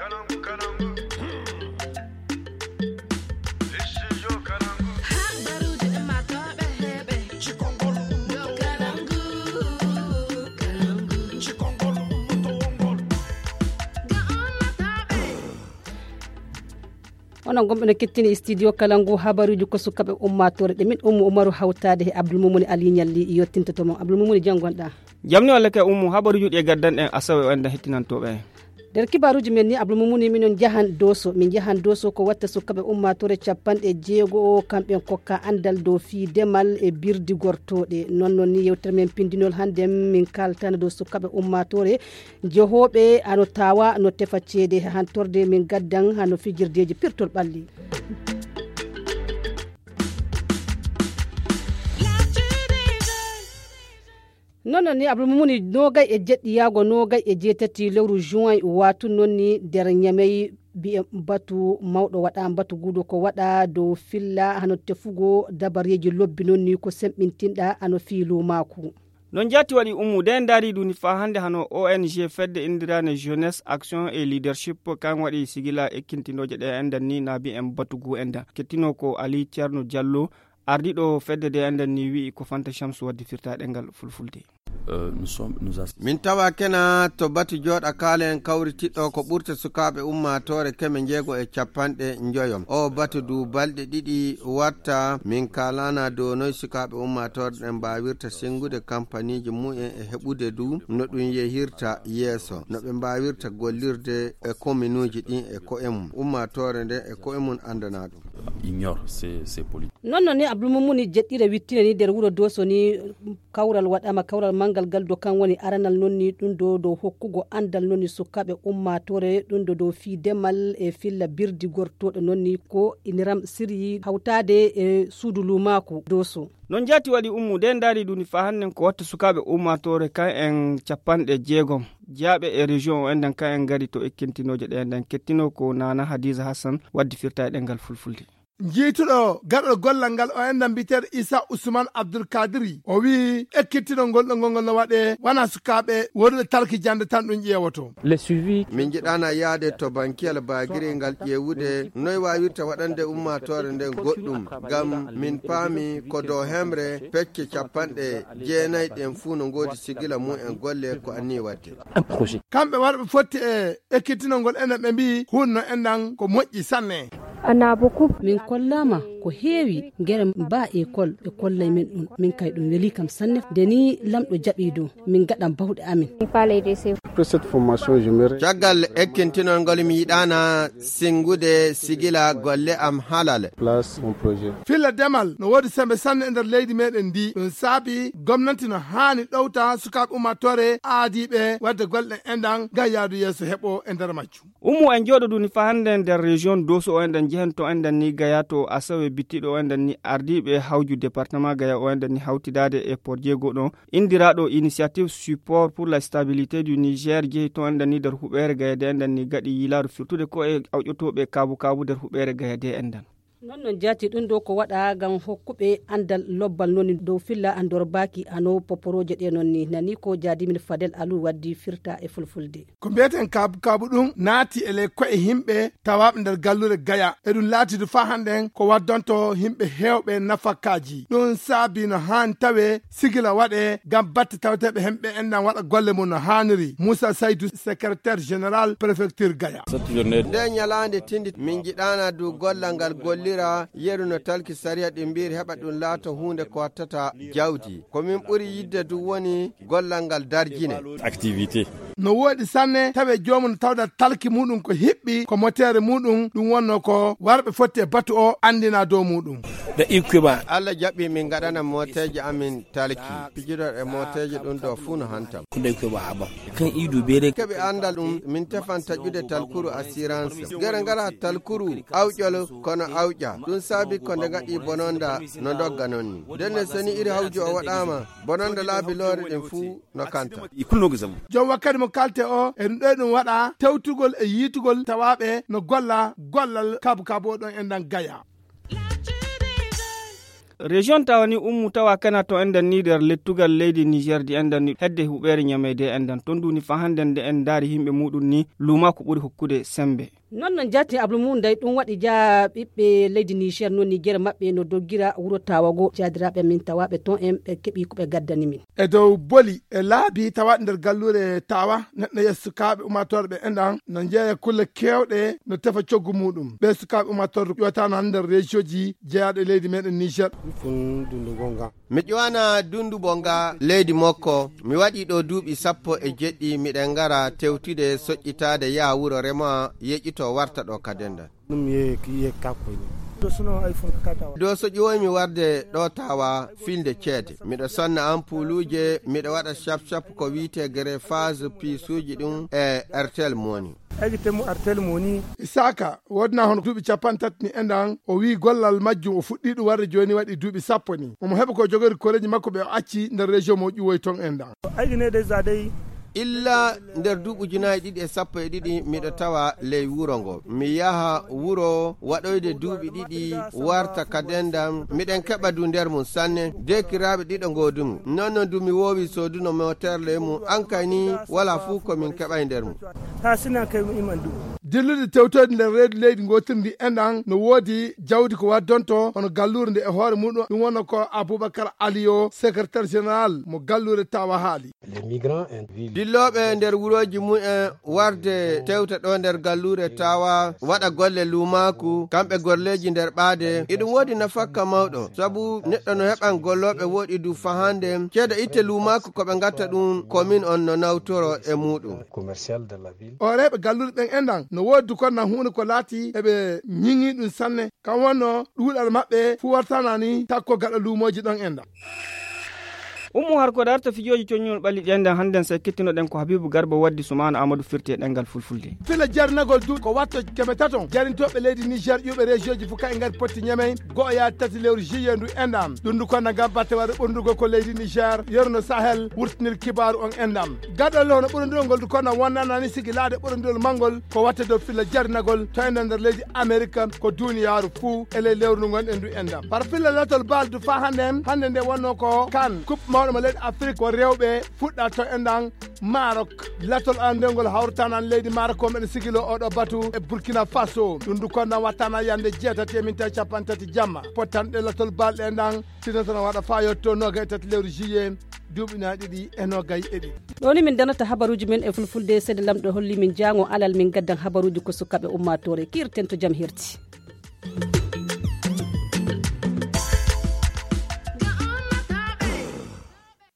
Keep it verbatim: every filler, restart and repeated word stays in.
Onon gomɓe no kettini e studio kala ngu habaruuji ko sukaɓe ummatore ɗe min ummu umaru hawtade he abdoulmoumouni ali ñalli yettintoto mo abdoulmoumouni janngonɗa. Jamni walla kay ummu habaruuji ɗi e gaddanɗen asawe o enda hettinantoɓe en. Nder kibaruuji men ni abdoulmoumouni minon jahan doso min jahan doso ko watta sukaɓe ummatore capanɗe jeego o kamɓen kokka andal dow fii demal e birdi gortoɗe non non ni yewtere men pindinol hannde min kaltana dow sukaɓe ummatore jehooɓe hano tawa no tefa ceede hantorde min gaddan hano fijirdeji pirtol ɓalli. Non non ni abdoulmoumouni nogay e jeɗɗi yaago nogay e jeetati lewru juin watu non ni nder ñamey mbiye batu mawɗo waɗa batu guuɗo ko waɗa dow filla hano tefugo dabareji lobbi non ni ko semɓintinɗa hano fiilu maaku. No njaati waɗi ummu de ndaari duni faa hannde hano ong fedde inndirande jeunesse action et leadership kan waɗi sigila ekkintinooje ɗe enɗan ni naabi en batugu enɗan kettino ko ali ceerno diallo ardiɗo fedde de enɗan ni wi'i ko fanta chamsu waddi firta ɗengal fulfulde. Min tawa kena to batu jooɗa kaalen kawritiɗɗo ko ɓurta sukaaɓe ummaatoore keme njeego e capanɗe njoyo o batu du balɗe ɗiɗi watta min kaalana dow noy sukaaɓe ummaatoore ɗen mbaawirta senngude kampaniiji mumen e heɓude du no ɗum yehirta yeeso no ɓe mbaawirta gollirde e kominuuji ɗin e ko'e mum ummaatoore nden e ko'e mum anndana ɗum. Non non ni abdul mumuni jeɗɗire wittine ni nder wuro doso ni kawral waɗama kawral mangal ngal do kan woni aranal non ni ɗum do dow hokkugo andal non ni sukaɓe ummatore ɗum do dow fii demal e filla birdi gortoɗo non ni ko iniram siryi hawtade e suudu lumaku doso. Non jaati waɗi ummu de ndaari ɗum ni fa hannen ko watta sukaɓe ummatore kan en capanɗe jeegom jaaɓe e région o enɗan kan en ngari to ekkintinoje ɗe enɗan kettino ko nana hadiza hassan waddi firta e ɗengal fulfulde. Jiituɗo gaɗɗo gollal ngal o enɗan mbiteeɗo isa usman abdul kadiri o wi'i ekkittinol ngol ɗo ngol ngol no waɗe wona sukaaɓe wonuɓe talki jannde tan ɗum ƴeewoto. Min njiɗaana yahde to bankiyal baagiri ngal ƴeewude noy waawirta waɗande ummaatoore nden goɗɗum ngam min paami ko dow hemre pecce capanɗe jeenayi ɗen fuu no ngoodi sigila mum en golle ko annii waɗde. Kamɓe warɓe fotti e ekkitinol ngol enen ɓe mbi'i hunno enɗan ko moƴƴi sanne. Min kollaama ko heewi gere mba ekol ɓe kollay men ɗum min kay ɗum weli kam sanne nde ni lamɗo jaɓi dow min gaɗan bawɗe amin. Caggal ekkintinol ngol mi yiɗaana senngude sigila golle am halal. Filla demal no woodi sembe sanne e nder leydi meɗen ndi ɗum saabi gomnanti no haani ɗowta sukaaɓe ummatore aadiiɓe wadde golle ɗen enɗan ngam yaadu yeeso heɓo e nder majjum. Ummu en jooɗodu ni fa hannde nder région doso o enɗan jehanto enɗan ni gaya to asawe bittiɗo o enɗan ni ardiiɓe hawju département gaya o enɗan ni hawtidaade e porjeego ɗon indiraaɗo initiative support pour la stabilité du niger jehi to enɗan ni nder huɓeere gaya de enɗan ni gaɗi yiilaaru firtude ko e awƴotooɓe kaabu kaabu nder huɓeere gaya de enɗan. Non non jaati ɗum ɗo ko waɗa ngam hokkuɓe andal lobbal non dow filla andor baaki hano poporooje ɗe non ni nani ko jaadimin fadel alu waddi firta e fulfulde. Ko mbiyeten kaabu kaabu ɗum naati e ley ko'e yimɓe tawaaɓe nder galluure gaya e ɗum laatidu faa hannden ko waddonto yimɓe heewɓe nafakaaji ɗum saabi no haani tawee sigila waɗee ngam batte taweteeɓe hemɓe enɗan waɗa golle mum no haaniri muusa saydu secrétaire général préfecture gaya. Nde ñalaande tindi min njiɗaana du gollal ngal gollira yeru no talki sariya ɗi mbiiri heɓa ɗum laato huunde ko wattata jawdi ko min ɓuri yidde du woni gollal ngal darjine. No woodi sanne tawe joomum no tawda talki muɗum ko hiɓɓi ko moteere muɗum ɗum wonno ko warɓe fotti e batu o anndina dow muɗum. Allah jaɓɓi min ngaɗana mooteeje amin talki pijidoɗe mooteeje ɗum ɗo fuu no hantam. Keɓe anndal ɗum min tefan taƴude talkuru assurance gere ngala talkuru awƴol kono awƴa ɗum saabi ko nde ngaɗi bononda no dogga non ni ndenne so ni iri hawju o waɗaama bononda laabi loore ɗin fuu no kanta. Joom wakkati mo kalte o e ɗum ɗoy ɗum waɗa tewtugol e yiitugol tawaaɓe no golla gollal kabu kabu o ɗon e ndan gaya. Région tawa ni ummu tawa kana to enɗan ni nder lettugal leydi Niger di enɗan ni hedde huɓeere ñameyde enɗan ton duni fa hannden nde en ndaari yimɓe muɗum ni luumaaku ɓuri hokkude sembe. Non non jaati ablu mum nday ɗum waɗi ja ɓiɓɓe leydi Niger non ni gere maɓɓe no doggira wuro tawago jaadiraaɓe min tawaaɓe ton en ɓe keɓi ko ɓe gaddani min. E dow boli e laabi tawaɗe nder galluure tawa neɗɗo yeeso sukaaɓe ummatooɓe ɓe enɗan no jeeya kulle keewɗe no tefa coggu muɗum ɓe sukaaɓe ummatooɓe ƴootano hannde nder région ji jeyaaɗo e leydi meɗen Niger. Mi ƴowana dundu bonga leydi makko mi waɗi ɗo duuɓi sappo e jeɗɗi miɗen ngara tewtude soƴƴitaade yaha wuro rema yeƴƴito warta ɗo kadenda. Ɗum ye ye kakkoy ɗum. Ɗo so ƴooymi warde ɗo tawa filde ceede miɗo sonna ampuuluuje miɗo waɗa cap cap ko wiyetee greffage piisuuji ɗum e artel moni. Egi temu artel moni. Isaka woodna hono duuɓi capanɗe tati ni enɗan o wii gollal majjum o fuɗɗii ɗum warde jooni waɗi duuɓi sappo ni omo heɓa ko jogori koreeji makko ɓe o acci nder région mo ƴuwoy ton enɗan. Illa nder duuɓi ujunaaji ɗiɗi e sappo e ɗiɗi miɗo tawa ley wuro ngo mi yaha wuro waɗoyde duuɓi ɗiɗi warta ka dendam miɗen keɓa du nder mum sanne dekiraaɓe ɗiɗo ngoodumi non non du mi woowi sooduno moter ley mum ankay ni wala fuu ko min keɓay nder mum. Haa sinan kay mi iman du. Dillude tewtoyde nder reedu leydi ngotirndi enɗan no woodi jawdi ko waddonto hono galluure nde e hoore muɗum ɗum wonno ko aboubacar aliyo secrétaire général mo galluure tawa haali. Dillooɓe nder wurooji mumen warde tewta ɗo nder galluure tawa waɗa golle luumaaku kamɓe golleeji nder ɓaade iɗum woodi nafakka mawɗo sabu neɗɗo no heɓan gollooɓe woɗi du fahande ceede itte luumaaku ko ɓe ngatta ɗum komin on no nawtoro e muɗum. O reeɓe galluure ɓen enɗan no woodi du kon na huunde ko laati eɓe ñiŋi ɗum sanne kam wonno ɗuuɗal maɓɓe fuu wartana ni takko gaɗa luumooji ɗon enɗan. Ummu har ko darta fijooji coññol ɓalli ɗi enɗan hannden sey kettinoɗen ko habibu garba waddi sumaana amadou firti e ɗengal fulfulde. Fila jarnagol du ko watto keme taton jarintooɓe leydi niger ƴuuɓe région ji fof ka e ngari potti ñamey go'o yaade tati lewru juillet ndu enɗam ɗum ndu konna ngam batte waɗa ɓurndugol ko leydi niger yorno sahel wurtinir kibaaru on enɗam. Gaɗolle hono ɓurondurol ngol du konna wonnanani sigi laade ɓurondurol manngol ko watte dow filla jarinagol to enɗan nder leydi amerika ko duniyaaru fuu e ley lewru ndu ngonɗen ndu enɗam par filla latol bal du faa hannde en hannde nde wonno ko kan coupe mawɗo mo leydi afrique ko rewɓe fuɗɗa to enɗan marok latol andengol hawrtanan leydi marok ko meɗen sigilo oɗo batu e burkina faso ɗum du konnan wattana yande jeetati e minta capanɗe tati jamma pottanɗe latol balɗe enɗan sinatana waɗa fa yetto noga e tati lewru juillet duuɓi na ɗiɗi e nogay e ɗiɗi. Ɗo ni min danata habaruuji men e fulfulde seede lamɗo holli min jaango alal min gaddan habaruuji ko sukaaɓe ummaatoore kiirten to jam herti.